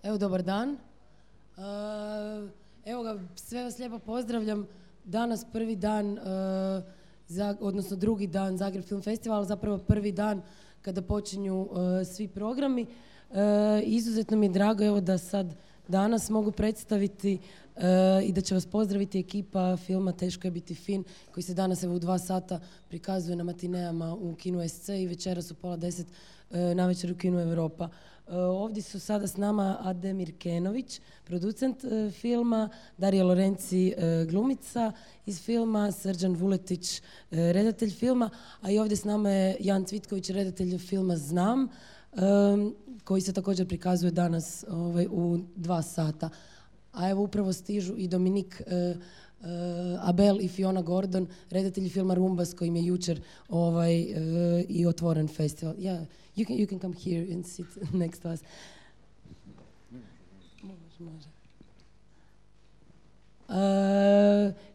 Evo, dobar dan. Evo ga, sve vas lijepo pozdravljam. Danas prvi dan, odnosno drugi dan Zagreb Film Festival, zapravo prvi dan kada počinju svi programi. Izuzetno mi je drago evo da sad danas mogu predstaviti i da će vas pozdraviti ekipa filma Teško je biti fin, koji se danas evo u 2 sata prikazuje na matineama u kinu SC i večeras u 9:30 navečer u kinu Europa. Ovdje su sada s nama Ademir Kenović, producent filma, Darija Lorenci, glumica iz filma, Srđan Vuletić, redatelj filma, a i ovdje s nama je Jan Cvitković, redatelj filma Znam, koji se također prikazuje danas u 2 sata. A evo upravo stižu i Dominik Abel i Fiona Gordon, redatelji filma Rumba, s kojim je jučer i otvoren festival. Yeah, you can come here and sit next to us. Može.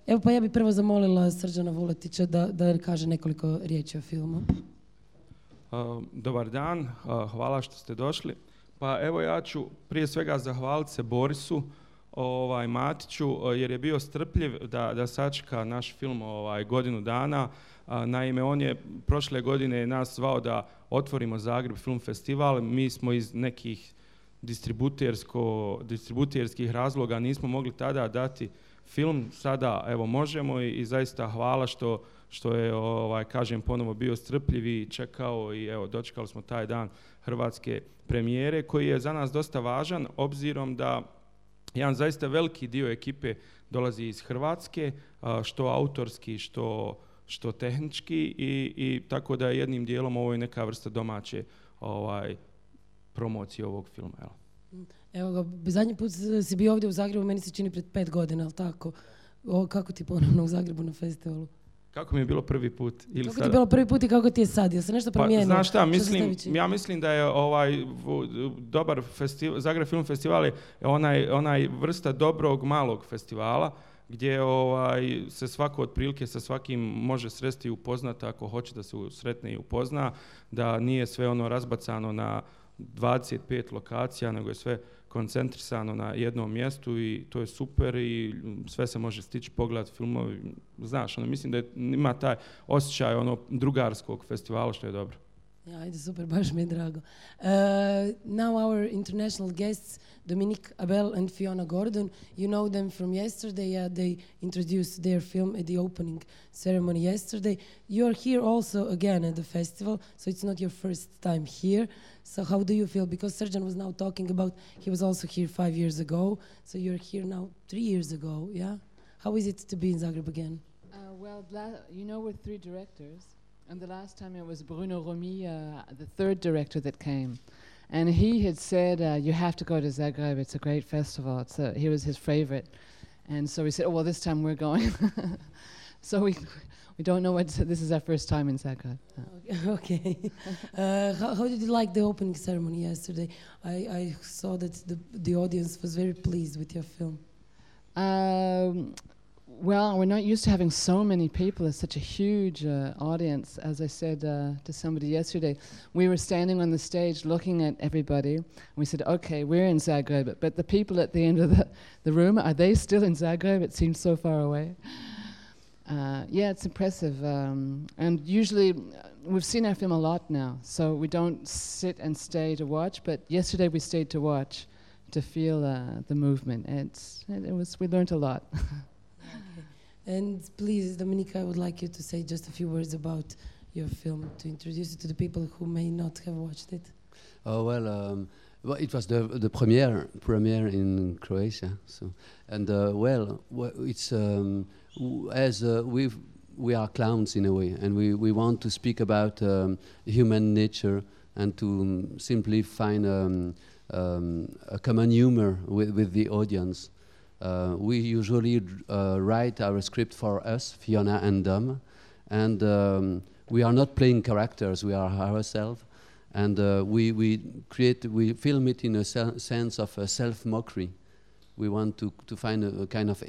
Evo pa ja bih prvo zamolila Srđana Vuletića da kaže nekoliko riječi o filmu. Dobar dan, hvala što ste došli. Pa evo ja ću prije svega zahvaliti se Borisu Matiću jer je bio strpljiv da sačeka naš film godinu dana. Naime, on je prošle godine nas zvao da otvorimo Zagreb Film Festival. Mi smo iz nekih distributerskih razloga nismo mogli tada dati film. Sada evo možemo i zaista hvala što je kažem ponovo bio strpljiv i čekao i evo dočekali smo taj dan hrvatske premijere koji je za nas dosta važan obzirom da jedan zaista veliki dio ekipe dolazi iz Hrvatske, što autorski, što tehnički i tako da jednim dijelom ovo je neka vrsta domaće promocije ovog filma. Evo ga, zadnji put si bio ovdje u Zagrebu, meni se čini pred 5 godina, ali tako? Kako ti ponovno u Zagrebu na festivalu? Kako mi je bilo prvi put? Kako ti je bilo prvi put i kako ti je sad? Jel se nešto promijenilo? Znaš šta, ja mislim da je dobar Zagreb Film Festival je onaj vrsta dobrog malog festivala gdje se svako otprilike sa svakim može sresti i upoznati ako hoće da se sretne i upozna, da nije sve ono razbacano na 25 lokacija, nego je sve koncentrisano na jednom mjestu i to je super i sve se može stići, pogledati filmovi, znaš, mislim da ima taj osjećaj drugarskog festivala što je dobro. Ajde, super, baš mi je drago. Now our international guests, Dominique Abel and Fiona Gordon, you know them from yesterday. They introduced their film at the opening ceremony yesterday. You are here also again at the festival, so it's not your first time here. So how do you feel? Because Srđan was now talking about, he was also here 5 years ago, so you're here now 3 years ago, yeah? How is it to be in Zagreb again? We're 3 directors. And the last time it was Bruno Romy, the 3rd director that came. And he had said, you have to go to Zagreb, it's a great festival. He was his favorite. And so we said, this time we're going. So we don't know this is our first time in Zagreb. Okay. How did you like the opening ceremony yesterday? I saw that the audience was very pleased with your film. Well, we're not used to having so many people. It's such a huge audience. As I said to somebody yesterday, we were standing on the stage looking at everybody. And we said, okay, we're in Zagreb. But the people at the end of the room, are they still in Zagreb? It seems so far away. Yeah, it's impressive. And usually, we've seen our film a lot now. So we don't sit and stay to watch. But yesterday we stayed to watch, to feel the movement. We learned a lot. And please, Dominique, I would like you to say just a few words about your film, to introduce it to the people who may not have watched it. Well, it was the premiere in Croatia. So, and it's we are clowns in a way, and we want to speak about human nature and to simply find a common humor with the audience. We usually write our script for us, Fiona and Dom, and we are not playing characters, we are ourselves, and we film it in a sense of self-mockery. We want to find a kind of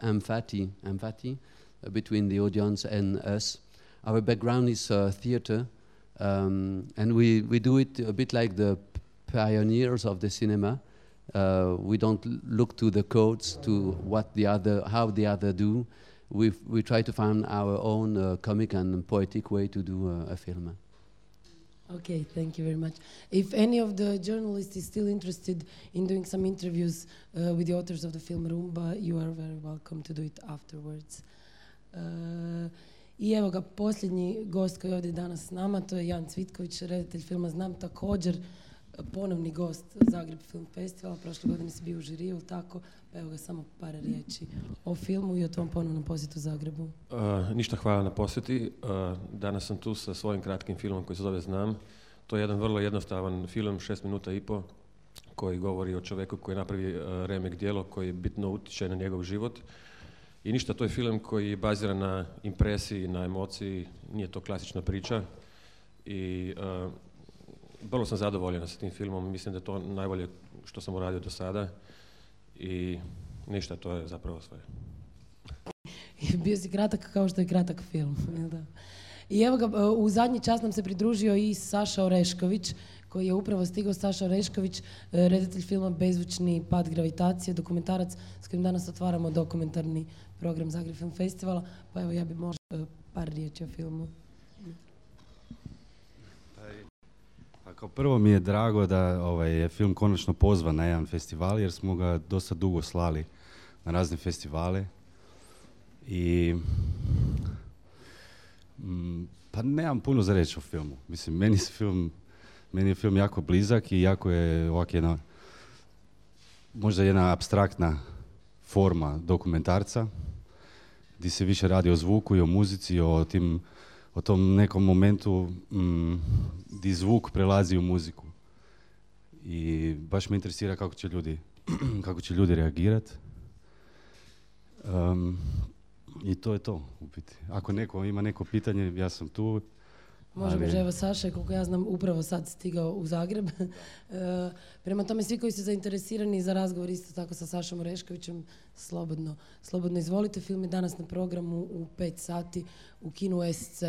empathy between the audience and us. Our background is theater, and we do it a bit like the pioneers of the cinema. We don't look to the codes, to how the other do. We try to find our own comic and poetic way to do a film. Okay, thank you very much. If any of the journalists is still interested in doing some interviews with the authors of the film Rumba, you are very welcome to do it afterwards. I evo ga, posljednji gost koji je ovdje danas s nama, to je Jan Cvitković, redatelj filma Znam, također ponovni gost Zagreb Film Festivala. Prošle godine si bio u žiriju, tako? Pa evo ga, samo par riječi o filmu i o tom ponovnom posjetu Zagrebu. Ništa, hvala na posjeti. Danas sam tu sa svojim kratkim filmom koji se zove Znam. To je jedan vrlo jednostavan film, 6 minuta i po, koji govori o čovjeku koji napravi remek djelo koji bitno utječe na njegov život. I ništa, to je film koji je baziran na impresiji, na emociji, nije to klasična priča. I vrlo sam zadovoljan sa tim filmom, mislim da je to najbolje što sam uradio do sada. I ništa, to je zapravo sve. Bio si kratak kao što je kratak film. Da. I evo ga, u zadnji čas nam se pridružio i Saša Orešković, koji je upravo stigao. Saša Orešković, redatelj filma Bezvučni pad gravitacije, dokumentarac s kojim danas otvaramo dokumentarni program Zagreb Film Festivala. Pa evo, ja bih možda par riječi o filmu. Kao prvo mi je drago da je film konačno pozvan na jedan festival, jer smo ga dosta dugo slali na razne festivale. I pa nemam puno za reći o filmu. Mislim, meni je film jako blizak i jako je ovak možda jedna apstraktna forma dokumentarca, gdje se više radi o zvuku i o muzici, o tom nekom momentu gdje zvuk prelazi u muziku. I baš me interesira kako će ljudi reagirati. I to je to, u biti. Ako neko ima neko pitanje, ja sam tu. Možemo, evo Saša, koliko ja znam, upravo sad stigao u Zagreb. Prema tome, svi koji su zainteresirani za razgovor isto tako sa Sašom Oreškovićem, slobodno izvolite. Film je danas na programu u 5 sati u kinu SC.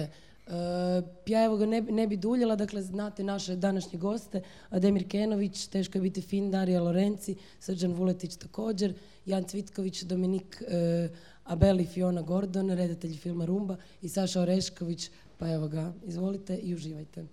Ja evo ga ne bi duljila, dakle znate naše današnje goste: Ademir Kenović, Teško je biti fin, Darija Lorenci, Srđan Vuletić također, Jan Cvitković, Dominik Abeli, Fiona Gordon, redatelji filma Rumba, i Saša Orešković. Pa evo ga, izvolite i uživajte.